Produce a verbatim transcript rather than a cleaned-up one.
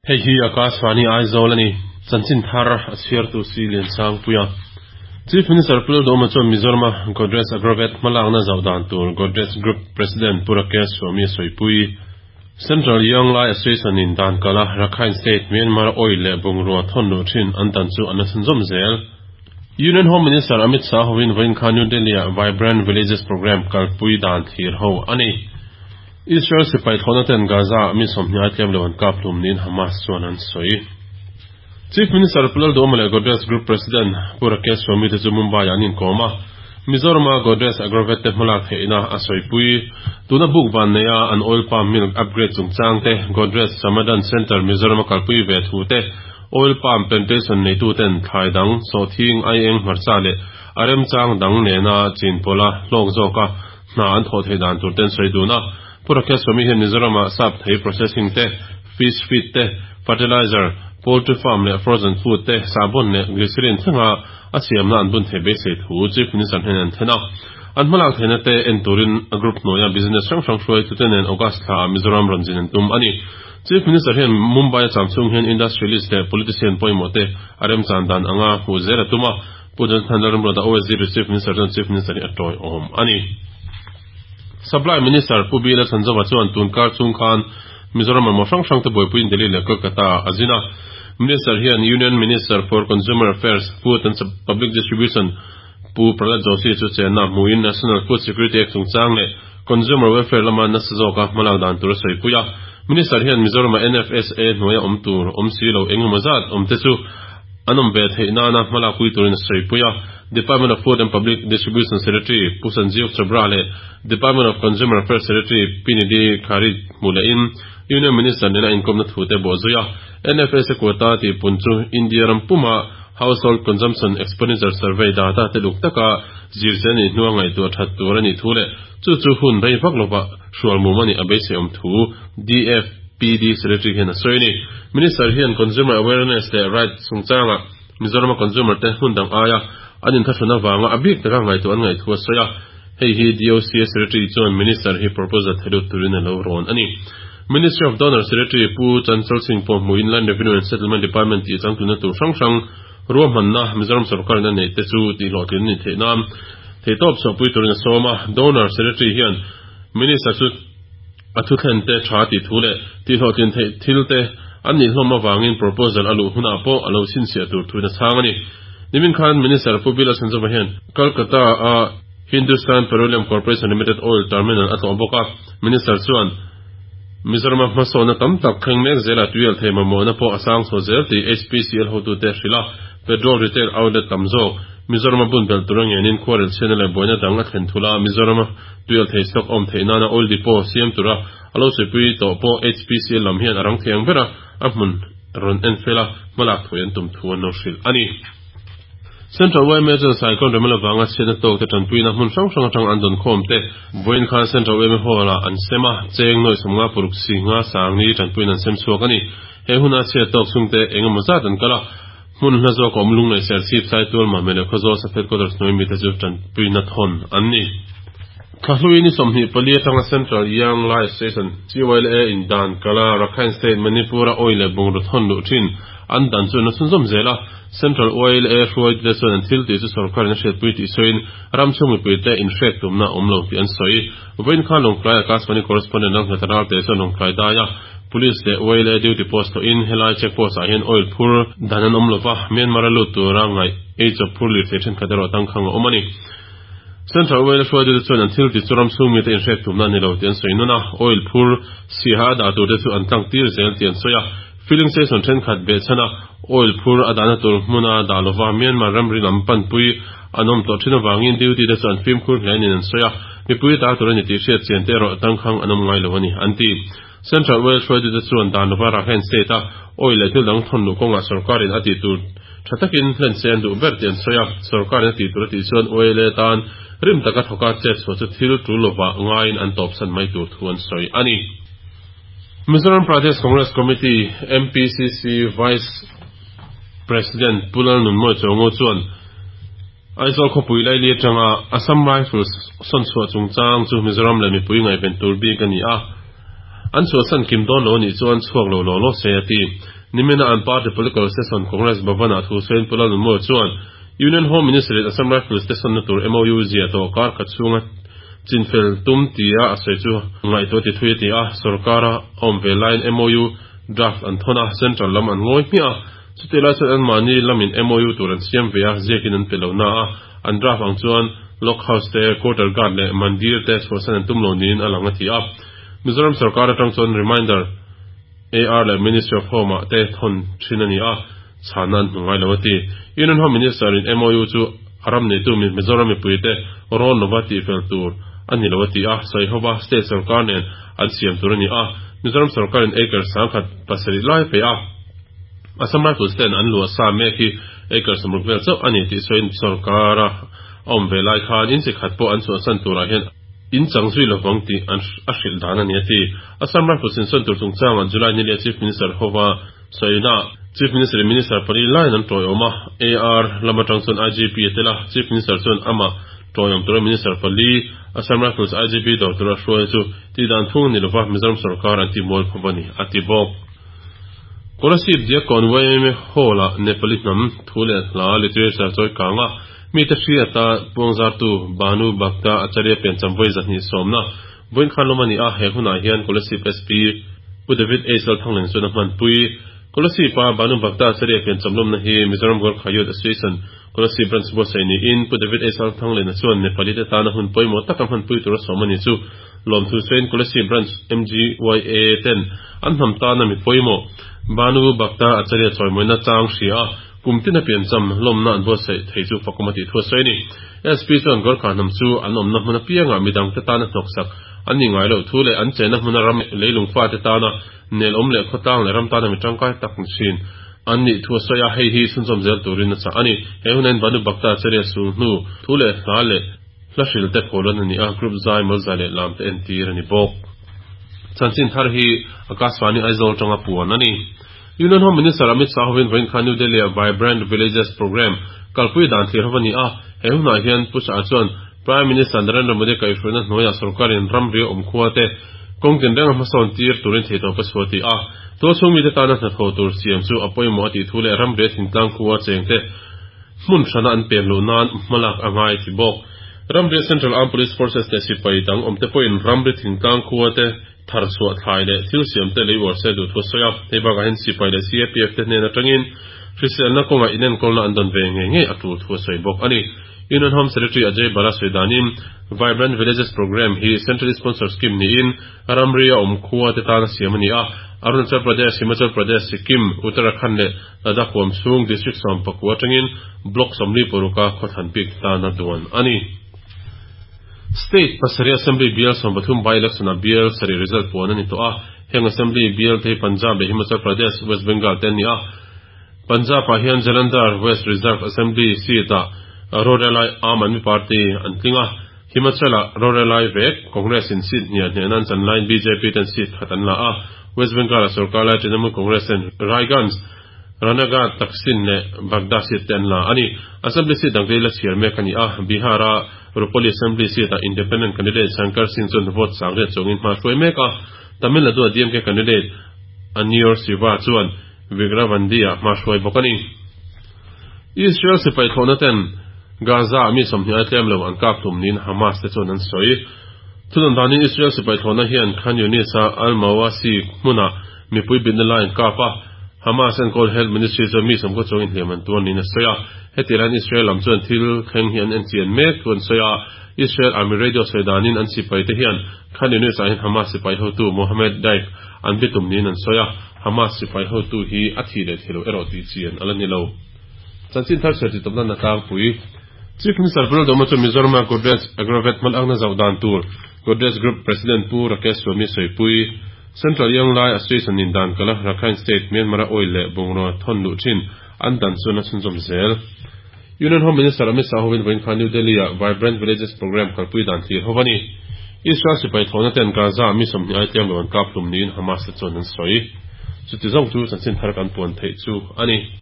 Hei hi Akashvani Aizawl a ni. Chanchin thar a chhiartu si Liansangpuia. Chief Minister Pu Lalduhoma chuan Mizorama Godrej Agrovet hmalakna zauh dan tur Godrej Group President Pu Rakesh Swami a sawipui. Central Young Lai Association in dan kala Rakhine State Myanmar Oil leh bungrua thawn luh thin an dan chu an la chhunzawm zel. Union Home Minister Amit Shah hovin vawiin khan New Delhi-ah Vibrant Villages Programme kalpui dan thlir ho a ni. Israel sipai thlawhna ten Gaza-ah mi sawmhnih ai tlem lo an kap hlum niin Hamas chuan an sawi. Chief Minister Pu Lalduhoma leh Godrej Group President Pu Rakesh Swami te chu Mumbai-ah an inkawm a, Mizorama Godrej Agrovet te hmalak theihna a sawipui. Tuna buk van neia an oil palm milk upgrade chungchang te, Godrej Samadhan Centre Mizorama kalpui ve thu te, oil palm plantation neituten thlai dang, sawhthing, aieng, hmarcha leh a remchang dang nena chin pawla hlawk zawka hna an thawh theih dan tur ten sawi dun a. Pu Rakesh Swami hian Mizorama sap thei processing te, fish feed te, fertilizer, poultry farm leh frozen food te, sahbawn leh glycerin thlenga a siamna an bun theih beisei thu Chief Minister hnenah an thlen a. An hmalak theihna te en turin a group hnuaia business hrang hrang hruaitute nen August thlaah Mizoram rawn zin an tum a ni. Chief Minister hian Mumbai a cham chhung hian industrialist leh politician pawimawh te a remchan dan anga hmuh zel a tum a. Pu Jonathan Lalramruata O S D to Chief Minister chuan Chief Minister hi a tawiawm a ni. Supply Minister Pu Bila Chhanzova chuan tun kar chung khan Mizoram mamawh hrang hrang te buaipuiin Delhi leh Kolkata ah a zin a. Minister hian Union Minister for Consumer Affairs, Food and Public Distribution Pu Prahlad Joshi chu chenna hmuin National Food Security Act chungchang leh Consumer Welfare lama nasa zawka hmalak dan tur a sawipui a. Minister hian Mizorama N F S A hnuaia awm tur awm si lo engemaw zat awm te chu an awm ve theih nana hmalakpui turin a sawipui a. Department of Food and Public Distribution Secretary Pu Sanjeev Chhabra leh Department of Consumer Affairs Secretary Pi Nidhi Khari hmu lehin Union Minister nena inkawmna thu te bawh zui a. N F S A quota tihpun chu India ram puma Household Consumption Expenditure Survey data te luk taka zirse a nih hnua ngaihtuah that tur a nih thu leh chu chu hun rei vak lova hrual mum a nih a beiseiawm thu D F P D Secretary hian a sawi a ni. Minister hian Consumer Awareness leh Rights chungchangah Mizorama consumer te hmun dang aia an inthlahrun avanga a bik taka ngaihtuah an ngaih thu a sawi a. Hei hi D O C A Secretary chuan Minister hi proposal thelut turin a lo rawn a ni. Ministry of Donor Secretary Pu Chanchal Singh pawh hmuin Land Revenue and Settlement Department tih changtlunna tur hrang hrang ruahmanna Mizoram sorkarin a neih te chu tihhlawhtlin a ni theih nan theihtawp chhuahpui turin a sawm a. Donor Secretary hian Minister chu a thuthlen te tha tih thu leh tihhlawhtlin theih thil te an nih hlawm avangin proposal a luh hunah pawh a lo chhinchhiah tur thuin a chhang a ni. Nimin khan Minister Pu Bill Asanzova hian Kolkata a Hindustan Petroleum Corporation Limited Oil Terminal a tlawh bawk a. Minister chuan Mizorama hmasawhna tam tak thleng mek zela tuial thei mamawhna pawh a sang chho zel tih H P C L hotute hrilh a, petrol retail outlet tam zawk Mizorama bun belh tura ngenin khuarel chhiatna leh buaina dang a thlen thul a, Mizorama tuial thei stock awm theih nana oil depot siam tura a lo sawipui tawh pawh H P C L lam hian a rang thiang ber a, a hmun rawn en fel a, hmalak thuai an tum thu an lo hrilh a ni. Central Y M A chuan Cyclone Remel avanga chhiatna tawk te tanpuina hmun hrang hrang atang an dawn khawm te vawiin khan Central Y M A Hall ah an sem a, cheng nawi sawmnga paruk si nga sangni tanpuina an sem chhuak a ni. He huna chhiat tawk chhungte eng emaw zat an kal a, hmun hla zawk a awm lunglei ser chhip sai tual mahmeh leh khawzawl sub headquarters hnuai mite chu tanpuina thawn an ni. Thlahlui ni sawmhnih pali atanga Central Young Lai Association, C Y L A, in dan kala Rakhine State, Manipur-a oil leh bungraw thawn luh thin an dan chu an la chhunzawm zel a. Central Y L A hruaitute chuan an thil tih chu sorkarin a hriatpui tih sawiin ram chhung mipuite inhrek tumna a awm lo tih an sawi. Vawiin khan Lawngtlai Akashvani correspondent Lalnghet Ralte chuan Lawngtlai daia Police leh Y L A duty post thawhin helai check post ah hian oil phur dan an awm lova, Myanmar a lut tura ngaih eichawp phur lirthei thenkhat erawh tangkhang a awm a ni. Central Oil hruaitute chuan an thil ti chu ram chhung mite inhrek tumna a ni lo tih an sawi nawn a, oil phur siha a dah turte chu an tlang tir zel tih an sawi a. Filling station thenkhat behchhan a oil phur a dahna tur hmuna dah lova Myanmar ramri lam panpui an awm tawh thin avangin duty te chu an fimkhur hle niin an sawi a, mipui ta tur a ni tih hriat chian te erawh tangkhang an awm ngai lo a ni, an ti. Central Oil hruaitute chuan dan lova Rakhine State a oil leh thil dang thawn luh kawngah sorkarin a tih tur tha takin hlen se an duh ber tih an sawi a, sorkarin a tih tur a tih chuan oil tan rim taka thawka chet chhuah chu thil tul lovah ngaiin an tawpsan mai tur thu an sawi a ni. Mizoram Pradesh Congress Committee, M P C C, Vice President Pu Lalnunmawi Chawngo chuan Aizawl khawpui laili atanga Assam Rifles sawn chhuah chungchang chu Mizoram leh mipui ngaihven tur bik a ni a, an chhuahsan kim dawn lo a nih chuan chhuak lo law law se a ti. Nimina an party political session Congress Bhavan-ah thu sawiin Pu Lalnunmawia chuan Union Home Minister in Assam Rifles te sawnna tur M O U ziah tawh kar khat chhunga chinfel tum tia a sawi chu ngaihtuah ti thui a ti a. Sorkar a awm ve laiin M O U draft an thawn a, central lam an ngawi hmiah a. Chutih lai chuan anmahni lamin M O U tur an siam ve a, ziakin an pe lo na a, an draft ang chuan Lock House te, Quarter Guard leh Mandir te chhuahsan an tum lo niin a lang a ti a. Mizoram sorkar atang chuan reminder A R leh Ministry of Home ah te thawn thin a ni a, chhana an hmu ngai lo a ti. Union Home Minister in M O U chu a ram neitu Mizoram mipui te rawn lova tihfel tur a ni lo a ti a, sawi hova state sorkar nen an siam tur a ni a. Mizoram sorkar in acre sangkhat pasarih lai pe a, Assam Rifles ten an luah sa mek hi acre sawmruk vel chauh a ni tih sawiin sorkar a awm ve lai khan inchi khat pawh an chhuahsan turah hian in chang zui lovang tih an a hrilh dan a ni a ti. Assam Rifles in sawn tur chungchangah July ni leh Chief Minister hova sawina Chief Minister in Minister pali laiin an tawiawm a, A R lam atang chuan I G P a tel a. Chief Minister chuan amah tawiawm tura Minister pali Assam Rifles I G P dawr tura hruai chu tih dan phung ni lova, Mizoram sorkar an ti mual phawp a ni a ti bawk. Kolasib Diakkawn Y M A Hall-a Nepali hnam thu leh hla literature chawi kanga mi te hriata puangzartu Bhanu Bhakta Acharya piancham vawi zahnih sawmna vawiin khan lawm a ni a. He hunah hian Kolasib S P Pu David A Lalthangleng chuan a hmanpui. Kolasib a Bhanu Bhakta Acharya piancham lawmna hi Mizoram Gorkha Youth Association Kolasib Branch buatsaih niin Pu David A Lalthanglena chuan Nepali te tana hun pawimawh taka hmanpui tura sawm a ni chu lawmthu sawiin Kolasib Branch M G Y A ten an hnam tana mi pawimawh Bhanu Bhakta Acharya chawimawina chang hria a kumtina piancham lawmna an buatsaih thei chu fakawm a tih thu a sawi a ni. S P chuan Gorkha hnam chu an awmna hmun apianga midang te tana hnawksak an ni ngai loh thu leh an chenna hmuna ram leilung fa te tana nel awm leh khawtlang leh ram tana mi tangkai tak ni thin an nih thu a sawi a, hei hi chhunzawm zel turin a chah a ni. He hunin Bhanu Bhakta Acharya sul hnu thu leh hla leh hla hril te pholan a ni a, group zai mal zai leh lam te entir a ni bawk. Chanchin thar hi Akashvani Aizawl tanga puan a ni. Union Home Minister Amit Shah hovin vawiin khan New Delhi a Vibrant Villages Program kalpui dan thlir hova ni a. He hunah hian Pu Shah chuan Prime Minister Narendra Modi kaihhruaina hnuaiah sorkarin ram ria awm khua te kawng tin renga hmasawn tir turin theitawp a chhuah ti a. Tualchhung mi te tana hnathawh tur siam chu a pawimawh a tih thu leh ram ria thingtlang khua cheng te hmun hrana an pem loh nan hmalak a ngai ti bawk. Ramri Central Armed Police Forces te sipai dang awm te pawhin ramri thingtlang khua te thar chhuah thlai leh thil siam te lei uar se duh thu a sawi a. Hei bakah hian sipai leh C A P F te hnen atangin hriselna kawnga inenkawlna an dawn ve ngei ngei a tul thu a sawi bawk a ni. Union Home Secretary Ajay Bhalla sawi danin Vibrant Villages Program hi centrally sponsored scheme niin ramri a awm khua te tana siam a ni a. Arunachal Pradesh, Himachal Pradesh, Sikkim, Uttarakhand leh Ladakh huam chhung district sawm pakua atangin block sawmli paruka khawthlan bik tana duan a ni. State pasarih Assembly bial sawm pathum by election a bial sarih result puan a ni tawh a. Heng Assembly bial te hi Punjab leh Himachal Pradesh, West Bengal te an ni a. Punjab ah hian Jalandhar West Reserve Assembly seat ah rorelai Aam Aadmi Party an tling a. Himachal ah rorelai vek Congress in seat hniah hnen an chan laiin B J P ten seat khat an la a. West Bengal ah sarkar lai Trinamool Congress ten Raiganj, Ranaghat, Taksin leh Bagda seat te an la a ni. Assembly seat dang te la chhiar mek a ni a. Bihar a Rupauli Assembly seat ah independent candidate Shankar Singh chuan vote sang riat chungin hma hruai mek a. Tamil Nadu a D M K candidate Anniyur Siva chuan Vikravandi ah hma hruai bawk a ni. Israel sipai thlawhna ten Gaza mi sawmhnih ai tlem lo an kap tum niin Hamas te chuan an sawi. Thudan danin Israel sipai thlawhna hian Khan Yunis a Al-Mawasi hmuna mipui bitna lai an kap a. Hamas enkawl Health Ministry chuan mi sawmkaw chuangin hliam an tuar niin a sawi a. Heti ran Israel lam chuan thil thleng hi an en chian mek thu an sawi a. Israel Army Radio sawi danin an sipai te hian Khan Yunis ah hian Hamas sipai hotu Mohammed Daif an bitum niin an sawi a. Hamas sipai hotu hi a thi leh thilo erawh tih chian ala ni lo. Chanchin thar chhiar ti tawpna na tlangpui. Chief Minister Pu Lalduhoma chu Mizoram a Godrej Agrovet hmalakna zauh dan tur Godrej Group President Pu Rakesh Swami Soipui. Central Young Lai Association in dan kala Rakhine State Myanmar oil leh bungraw thon luh thin an dan chuan a chhunzawm zel. Union Home Minister Amit Shah hovin vawiin khan New Delhi a Vibrant Villages Program kalpui dan thlir hova ni. Israel sipai thlawhna ten Gaza mi sawmhnih ai tlem lo an kap hlum niin Hamas te chuan an sawi. Chuti zawng chu chanchin thar kan puan theih chu a ni.